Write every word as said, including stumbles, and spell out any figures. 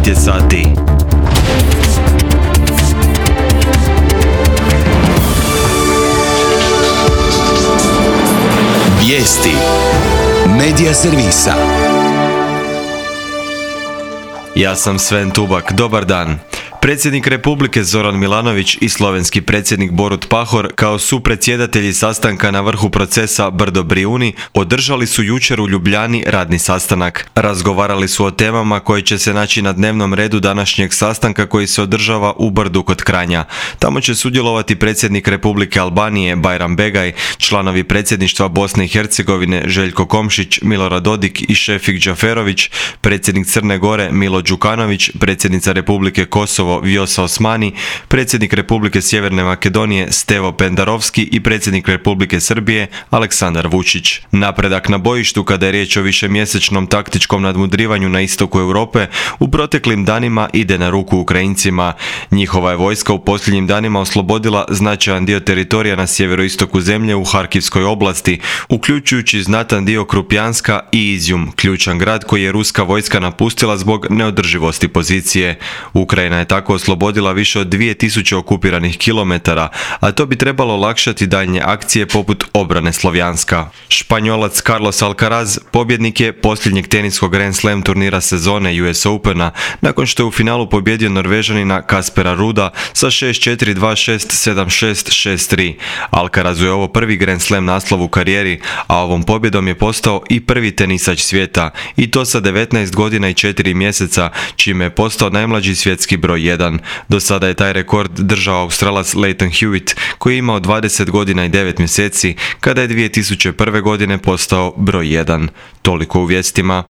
devet je sati. Vijesti Medija servisa. Ja sam Sven Tubak, dobar dan. Predsjednik Republike Zoran Milanović i slovenski predsjednik Borut Pahor kao supredsjedatelji sastanka na vrhu procesa Brdo-Brijuni održali su jučer u Ljubljani radni sastanak. Razgovarali su o temama koje će se naći na dnevnom redu današnjeg sastanka koji se održava u Brdu kod Kranja. Tamo će sudjelovati predsjednik Republike Albanije Bajram Begaj, članovi predsjedništva Bosne i Hercegovine Željko Komšić, Milorad Dodik i Šefik Džaferović, predsjednik Crne Gore Milo Đukanović, predsjednica Republike Kosovo Vjosa Osmani, predsjednik Republike Sjeverne Makedonije Stevo Pendarovski i predsjednik Republike Srbije Aleksandar Vučić. Napredak na bojištu kada je riječ o višemjesečnom taktičkom nadmudrivanju na istoku Europe u proteklim danima ide na ruku Ukrajincima. Njihova je vojska u posljednjim danima oslobodila značajan dio teritorija na sjeveroistoku zemlje u Harkivskoj oblasti, uključujući znatan dio Krupjanska i Izjum, ključan grad koji je ruska vojska napustila zbog neodrživosti pozicije. Ukrajina je tako oslobodila više od dvije tisuće okupiranih kilometara, a to bi trebalo olakšati daljnje akcije poput obrane Slovjanska. Španjolac Carlos Alcaraz pobjednik je posljednjeg teniskog Grand Slam turnira sezone U S Opena, nakon što je u finalu pobjedio Norvežanina Kaspera Ruda sa šest četiri, dva šest, sedam šest, šest tri. Alcarazu je ovo prvi Grand Slam naslov u karijeri, a ovom pobjedom je postao i prvi tenisač svijeta, i to sa devetnaest godina i četiri mjeseca, čime je postao najmlađi svjetski broj jedan. Do sada je taj rekord držao Australac Lleyton Hewitt, koji je imao dvadeset godina i devet mjeseci kada je dvije tisuće prve godine postao broj jedan. Toliko u vijestima.